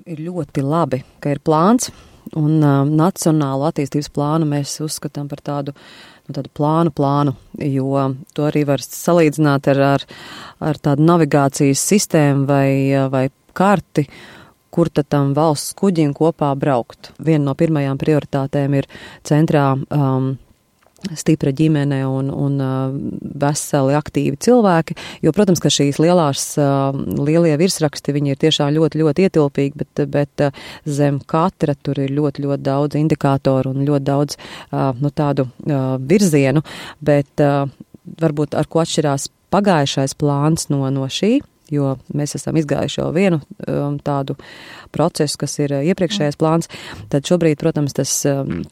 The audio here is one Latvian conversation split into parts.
ir ļoti labi, ka ir plāns, un nacionālu attīstības plānu mēs uzskatām par tādu plānu, jo to arī var salīdzināt ar tādu navigācijas sistēmu vai karti, kur tad tam valsts kuģim kopā braukt. Viena no pirmajām prioritātēm ir centrā stipra ģimene un veseli aktīvi cilvēki, jo, protams, ka šīs lielie virsraksti, viņi ir tiešām ļoti, ļoti ietilpīgi, bet zem katra tur ir ļoti, ļoti daudz indikātoru un ļoti daudz tādu virzienu, bet varbūt ar ko atšķirās pagājušais plāns no šī, jo mēs esam izgājuši jau vienu tādu procesu, kas ir iepriekšējais plāns, tad šobrīd, protams, tas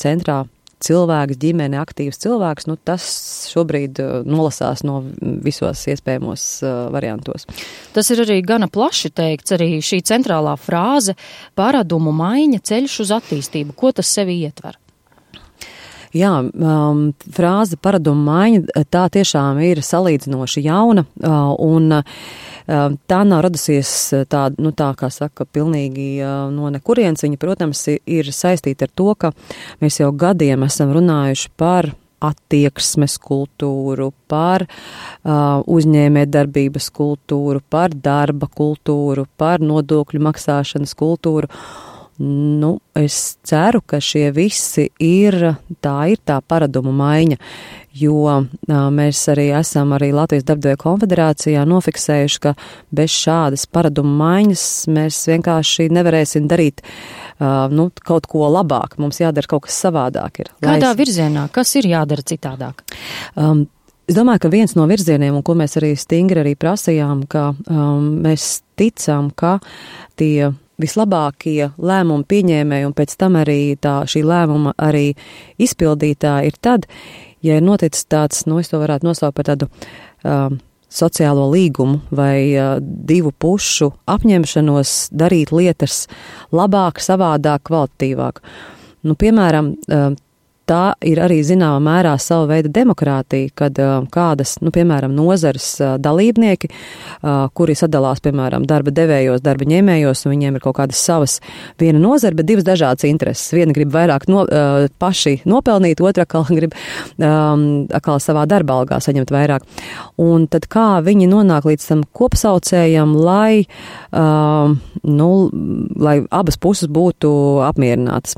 centrā cilvēks, ģimene, aktīvs cilvēks, tas šobrīd nolasās no visos iespējamos variantos. Tas ir arī gana plaši teikts, arī šī centrālā frāze paradumu maiņa ceļš uz attīstību. Ko tas sevi ietver? Jā, frāze paradumu maiņa, tā tiešām ir salīdzinoši jauna, un tā nav radusies tā kā saka, pilnīgi no nekurienes. Viņa, protams, ir saistīta ar to, ka mēs jau gadiem esam runājuši par attieksmes kultūru, par uzņēmējdarbības kultūru, par darba kultūru, par nodokļu maksāšanas kultūru. Es ceru, ka šie visi ir tā paradumu maiņa, jo mēs arī esam Latvijas Darbdevēju konfederācijā nofiksējuši, ka bez šādas paradumu maiņas mēs vienkārši nevarēsim darīt kaut ko labāk. Mums jādara kaut kas savādāk. Kādā virzienā? Kas ir jādara citādāk? Es domāju, ka viens no virzieniem, un ko mēs arī stingri prasījām, ka mēs ticam, ka tie vislabākie lēmumu pieņēmēji un pēc tam arī šī lēmuma arī izpildītāji ir tad, ja ir noticis tāds, es to varētu nosaukt par tādu sociālo līgumu vai divu pušu apņemšanos darīt lietas labāk, savādāk, kvalitatīvāk. Piemēram, tā ir arī zināmā mērā sava veida demokrātija, kad kādas, piemēram, nozares dalībnieki, kuri sadalās, piemēram, darba devējos, darba ņēmējos, un viņiem ir kaut kādas savas viena nozara, bet divas dažādas intereses. Viena grib vairāk paši nopelnīt, otra grib atkal savā darba algā saņemt vairāk. Un tad kā viņi nonāk līdz tam kopsaucējam, lai abas puses būtu apmierinātas.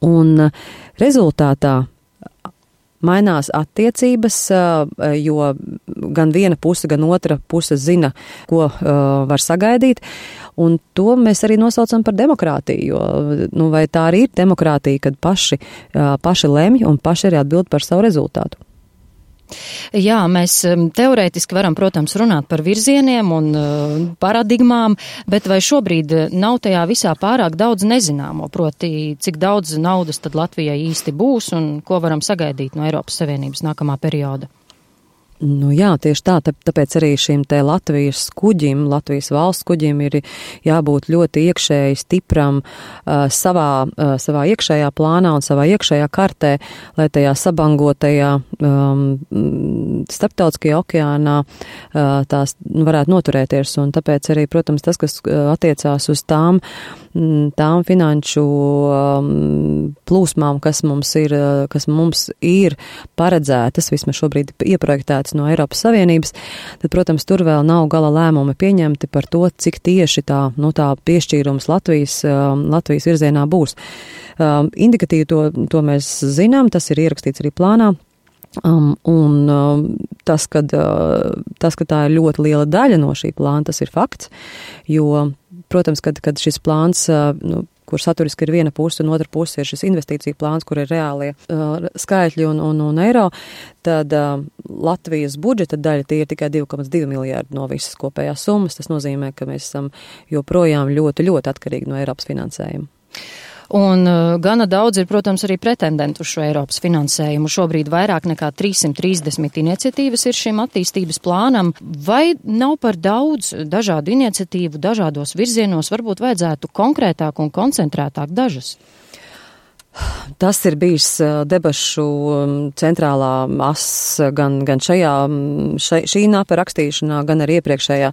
Un rezultātā mainās attiecības, jo gan viena puse, gan otra puse zina, ko var sagaidīt, un to mēs arī nosaucam par demokrātiju, jo vai tā arī ir demokrātija, kad paši lemj un paši arī atbild par savu rezultātu. Jā, mēs teorētiski varam, protams, runāt par virzieniem un paradigmām, bet vai šobrīd nav tajā visā pārāk daudz nezināmo, proti, cik daudz naudas tad Latvijai īsti būs un ko varam sagaidīt no Eiropas Savienības nākamā perioda? Jā, tieši tā, tāpēc arī šim te Latvijas kuģim, Latvijas valsts kuģim ir jābūt ļoti iekšēji stipram savā iekšējā plānā un savā iekšējā kartē, lai tajā sabangotajā starptautiskajā okeānā tās varētu noturēties. Un tāpēc arī, protams, tas, kas attiecās uz tām finanšu plūsmām, kas mums ir paredzētas, vismaz šobrīd ieprojektētas no Eiropas Savienības, tad, protams, tur vēl nav gala lēmumi pieņemti par to, cik tieši tā piešķīrums Latvijas virzienā būs. Indikatīvi to mēs zinām, tas ir ierakstīts arī plānā. Tas, ka tā ir ļoti liela daļa no šī plāna, tas ir fakts, jo, protams, kad šis plāns, kur saturiski ir viena puse un otra puse ir šis investīcija plāns, kur ir reālie skaitļi un eiro, tad Latvijas budžeta daļa tie ir tikai 2,2 miljārdi no visas kopējās summas. Tas nozīmē, ka mēs esam joprojām ļoti, ļoti atkarīgi no Eiropas finansējuma. Un gana daudz ir, protams, arī pretendentu uz šo Eiropas finansējumu. Šobrīd vairāk nekā 330 iniciatīvas ir šim attīstības plānam. Vai nav par daudz dažādu iniciatīvu, dažādos virzienos, varbūt vajadzētu konkrētāk un koncentrētāk dažas? Tas ir bijis debašu centrālā as gan šī napa rakstīšanā, gan arī iepriekšējā,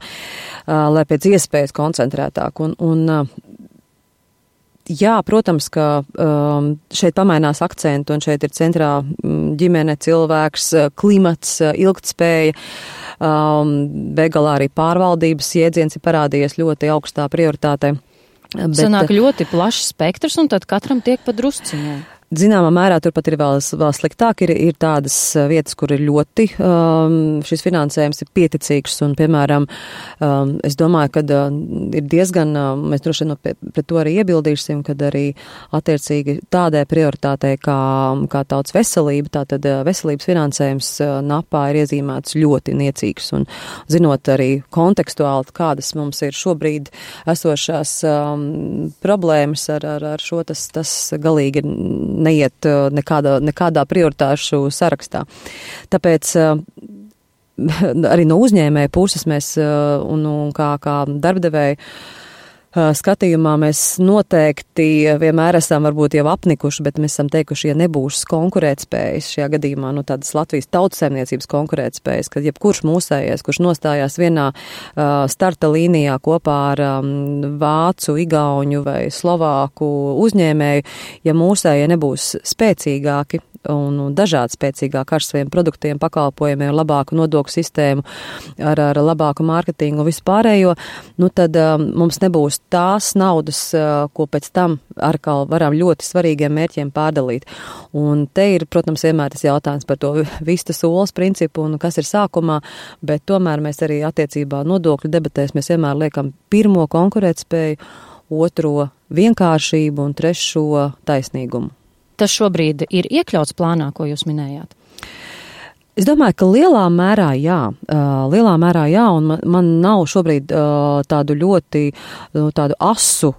lai pēc iespējas koncentrētāk. Un Jā, protams, ka šeit pamainās akcentu un šeit ir centrā ģimene, cilvēks, klimats, ilgtspēja. Begalā arī pārvaldības jēdziens ir parādījies ļoti augstā prioritātē. Sanāk ļoti plašs spektrs un tad katram tiek pa drusciņai. Zināmā mērā turpat ir vēl sliktāk, ir tādas vietas, kur ir ļoti šis finansējums ir pieticīgs un, piemēram, es domāju, ka ir diezgan, mēs droši vien pret to arī iebildīsim, kad arī attiecīgi tādai prioritātei kā tautas veselība, tātad veselības finansējums napā ir iezīmēts ļoti niecīgs un zinot arī kontekstuāli, kādas mums ir šobrīd esošās problēmas ar šo, tas galīgi ir neiet nekādā prioritāšu sarakstā. Tāpēc arī no uzņēmēja puses mēs un kā darbdevēji skatījumā mēs noteikti vienmēr esam varbūt jau apnikuši, bet mēs esam teikuši, ja nebūs konkurētspējas šajā gadījumā, tādas Latvijas tautsaimniecības konkurētspējas, kad jebkurš mūsējais, kurš nostājās vienā starta līnijā kopā ar vācu, igauņu vai slovāku uzņēmēju, ja mūsējie nebūs spēcīgāki un dažādi spēcīgāk ar saviem produktiem, pakalpojumiem, labāku nodokļu sistēmu, ar labāku mārketingu un vispārējo, tad mums nebūs tās naudas, ko pēc tam atkal varam ļoti svarīgiem mērķiem pārdalīt. Un te ir, protams, vienmēr tas jautājums par to vistas olas principu un kas ir sākumā, bet tomēr mēs arī attiecībā nodokļu debatēs mēs vienmēr liekam pirmo konkurētspēju, otro vienkāršību un trešo taisnīgumu. Tas šobrīd ir iekļauts plānā, ko jūs minējāt? Es domāju, ka lielā mērā jā, un man nav šobrīd tādu ļoti, tādu asu,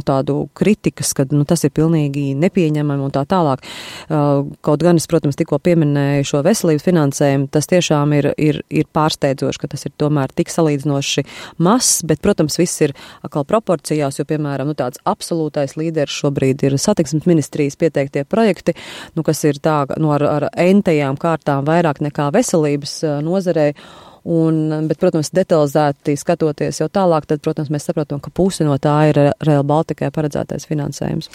tādu kritikas, ka tas ir pilnīgi nepieņemami un tā tālāk. Kaut gan es, protams, tikko pieminēju šo veselības finansējumu, tas tiešām ir pārsteidzoši, ka tas ir tomēr tik salīdzinoši mazs, bet, protams, viss ir atkal proporcijās, jo, piemēram, tāds absolūtais līderis šobrīd ir satiksmes ministrijas pieteiktie projekti, kas ir tā, ar entajām kārtām vairāk nekā veselības nozarei, bet, protams, detalizēti skatoties jau tālāk, tad, protams, mēs saprotam, ka pusi no tā ir Rail Baltikai paredzētais finansējums.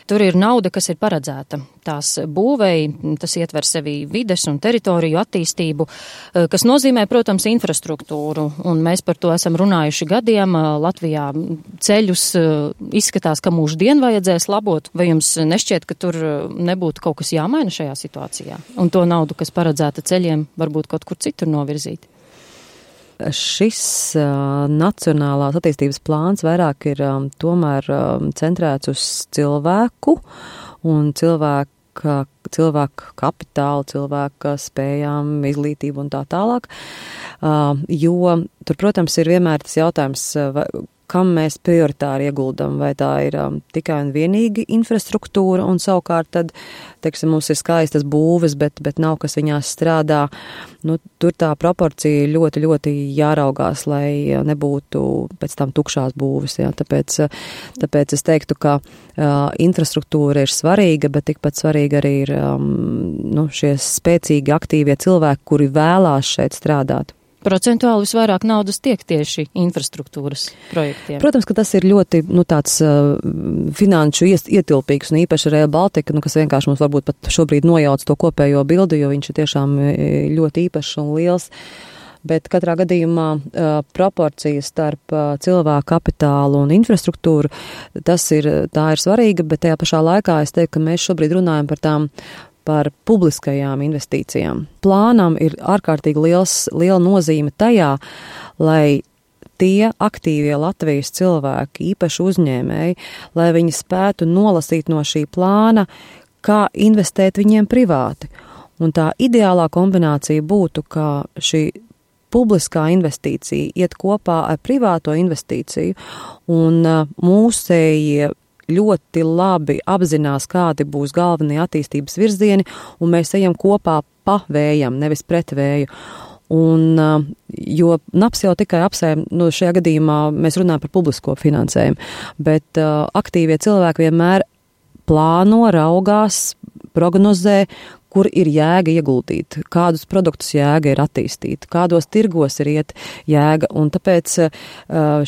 Tur ir nauda, kas ir paredzēta tās būvēji, tas ietver sevi vides un teritoriju attīstību, kas nozīmē, protams, infrastruktūru, un mēs par to esam runājuši gadiem. Latvijā ceļus izskatās, ka mūždien vajadzēs labot, vai jums nešķiet, ka tur nebūtu kaut kas jāmaina šajā situācijā, un to naudu, kas paredzēta ceļiem, varbūt kaut kur citur novirzīt? Šis nacionālās attīstības plāns vairāk ir tomēr centrēts uz cilvēku un cilvēku kapitālu, cilvēka spējām, izglītību un tā tālāk, jo tur, protams, ir vienmēr tas jautājums, kam mēs prioritāri ieguldam, vai tā ir tikai un vienīgi infrastruktūra, un savukārt tad, teiksim, mums ir skaistas būves, bet nav, kas viņās strādā. Tur tā proporcija ļoti, ļoti jāraugās, lai nebūtu pēc tam tukšās būves. Jā. Tāpēc es teiktu, ka infrastruktūra ir svarīga, bet tikpat svarīga arī ir šie spēcīgi, aktīvie cilvēki, kuri vēlās šeit strādāt. Procentuāli visvairāk naudas tiek tieši infrastruktūras projektiem. Protams, ka tas ir ļoti tāds finanšu ietilpīgs un īpaši Rail Baltica, kas vienkārši mums varbūt pat šobrīd nojauc to kopējo bildi, jo viņš ir tiešām ļoti īpašs un liels. Bet katrā gadījumā proporcija starp cilvēku kapitālu un infrastruktūru, tā ir svarīga, bet tajā pašā laikā es teiktu, ka mēs šobrīd runājam par publiskajām investīcijām. Plānam ir ārkārtīgi liela nozīme tajā, lai tie aktīvie Latvijas cilvēki, īpaši uzņēmēji, lai viņi spētu nolasīt no šī plāna, kā investēt viņiem privāti. Un tā ideālā kombinācija būtu, ka šī publiskā investīcija iet kopā ar privāto investīciju, un mūsējie ļoti labi apzinās, kādi būs galvenie attīstības virzieni, un mēs ejam kopā pa vējam, nevis pret vēju. Un, jo NAPS jau tikai apsēm, šajā gadījumā mēs runājam par publisko finansējumu, bet aktīvie cilvēki vienmēr plāno, raugās, prognozē, kur ir jēga ieguldīt, kādus produktus jēga ir attīstīt, kādos tirgos ir iet jēga, un tāpēc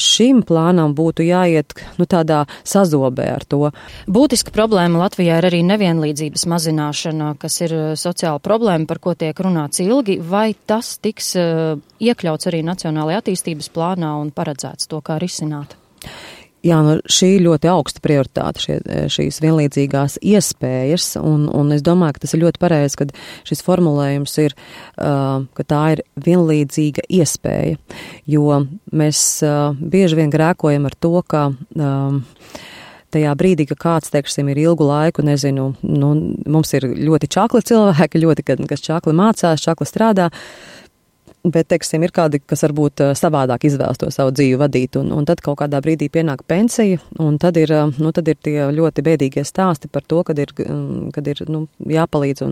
šim plānam būtu jāiet tādā sazobē ar to. Būtiska problēma Latvijā ir arī nevienlīdzības mazināšana, kas ir sociāla problēma, par ko tiek runāts ilgi. Vai tas tiks iekļauts arī Nacionālajā attīstības plānā un paredzēts to, kā risināt? Jā, šī ļoti augsta prioritāte, šīs vienlīdzīgās iespējas, un es domāju, ka tas ir ļoti pareizi, kad šis formulējums ir, ka tā ir vienlīdzīga iespēja, jo mēs bieži vien grēkojam ar to, ka tajā brīdī, ka kāds, teiksim, ir ilgu laiku, nezinu, mums ir ļoti čakli cilvēki, kas čakli mācās, čakli strādā, bet, teiksim, ir kādi, kas varbūt savādāk izvēlas to savu dzīvi vadīt, un tad kaut kādā brīdī pienāk pensija, un tad ir tie ļoti bēdīgie stāsti par to, kad ir jāpalīdz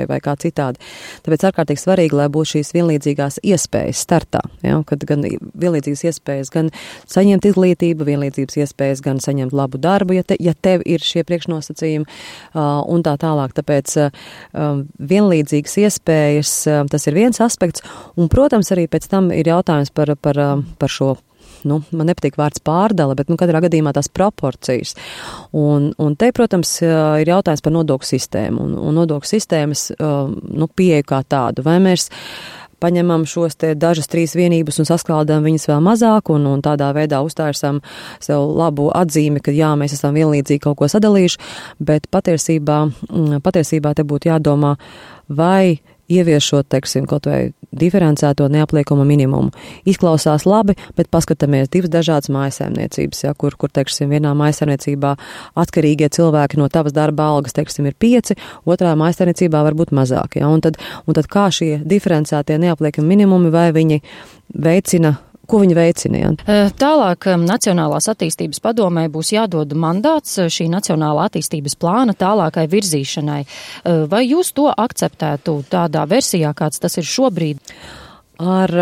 vai kā citādi. Tāpēc ārkārtīgi svarīgi, lai būtu šīs vienlīdzīgās iespējas startā, ja, kad gan vienlīdzīgas iespējas gan saņemt izglītību, vienlīdzības iespējas gan saņemt labu darbu, ja tev ir šie priekšnosacījumi, un tā tālāk. Tāpēc vienlīdzīgas iespējas, tas ir viens aspekts. Un, protams, arī pēc tam ir jautājums par šo, man nepatīk vārds pārdala, bet, katrā gadījumā tās proporcijas. Un te, protams, ir jautājums par nodokļu sistēmu un nodokļu sistēmas, pieeju kā tādu. Vai mēs paņemam šos te dažas 3 vienības un saskaldām viņas vēl mazāk un tādā veidā uztārsam sev labu atzīmi, ka jā, mēs esam vienlīdzīgi kaut ko sadalījuši, bet patiesībā te būtu jādomā, vai ieviešot, teiksim, kaut vai diferencēto neapliekamo minimumu. Izklausās labi, bet paskatāmies 2 dažādas mājsaimniecības, ja, kur, teiksim, vienā mājsaimniecībā atkarīgie cilvēki no tavas darba algas, teiksim, ir 5, otrā mājsaimniecībā var būt mazāk, ja, un tad kā šie diferencētie neapliekami minimumi, vai viņi veicina, ko viņi veicina? Ja? Tālāk Nacionālās attīstības padomē būs jādod mandāts šī Nacionālā attīstības plāna tālākai virzīšanai. Vai jūs to akceptētu tādā versijā, kāds tas ir šobrīd? Ar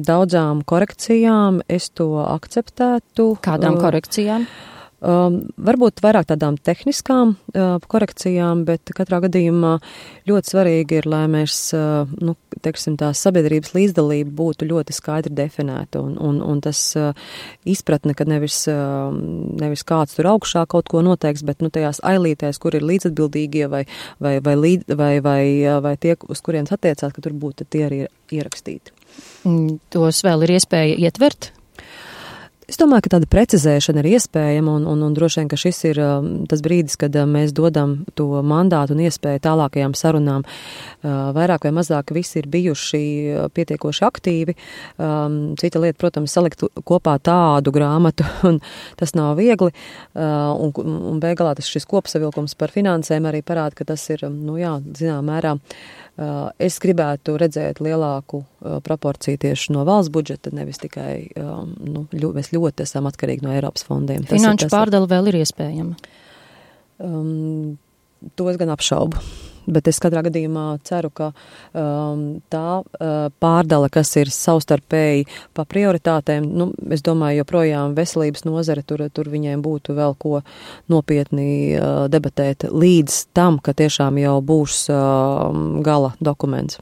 daudzām korekcijām es to akceptētu. Kādām korekcijām? Varbūt vairāk tādām tehniskām korekcijām, bet katrā gadījumā ļoti svarīgi ir, lai mēs, teiksim, tā sabiedrības līdzdalība būtu ļoti skaidri definēta un tas izpratne, ka nevis kāds tur augšā kaut ko noteiks, bet, tajās ailītēs, kur ir līdzatbildīgie vai tie, uz kurienes attiecās, ka tur būtu tie arī ierakstīti. Tos vēl ir iespēja ietvert? Es domāju, ka tāda precizēšana ir iespējama un droši vien, ka šis ir tas brīdis, kad mēs dodam to mandātu un iespēju tālākajām sarunām. Vairāk vai mazāk visi ir bijuši pietiekoši aktīvi. Cita lieta, protams, salikt kopā tādu grāmatu, un tas nav viegli. Un beigās šis kopsavilkums par finansēm arī parāda, ka tas ir, zinām mērā, es gribētu redzēt lielāku proporciju tieši no valsts budžeta, nevis tikai, mēs ļoti esam atkarīgi no Eiropas fondiem. Finanšu pārdala vēl ir iespējama? To es gan apšaubu. Bet es katrā gadījumā ceru, ka tā pārdala, kas ir savstarpēji pa prioritātēm, es domāju, joprojām veselības nozare, tur viņiem būtu vēl ko nopietni debatēt līdz tam, ka tiešām jau būs gala dokuments.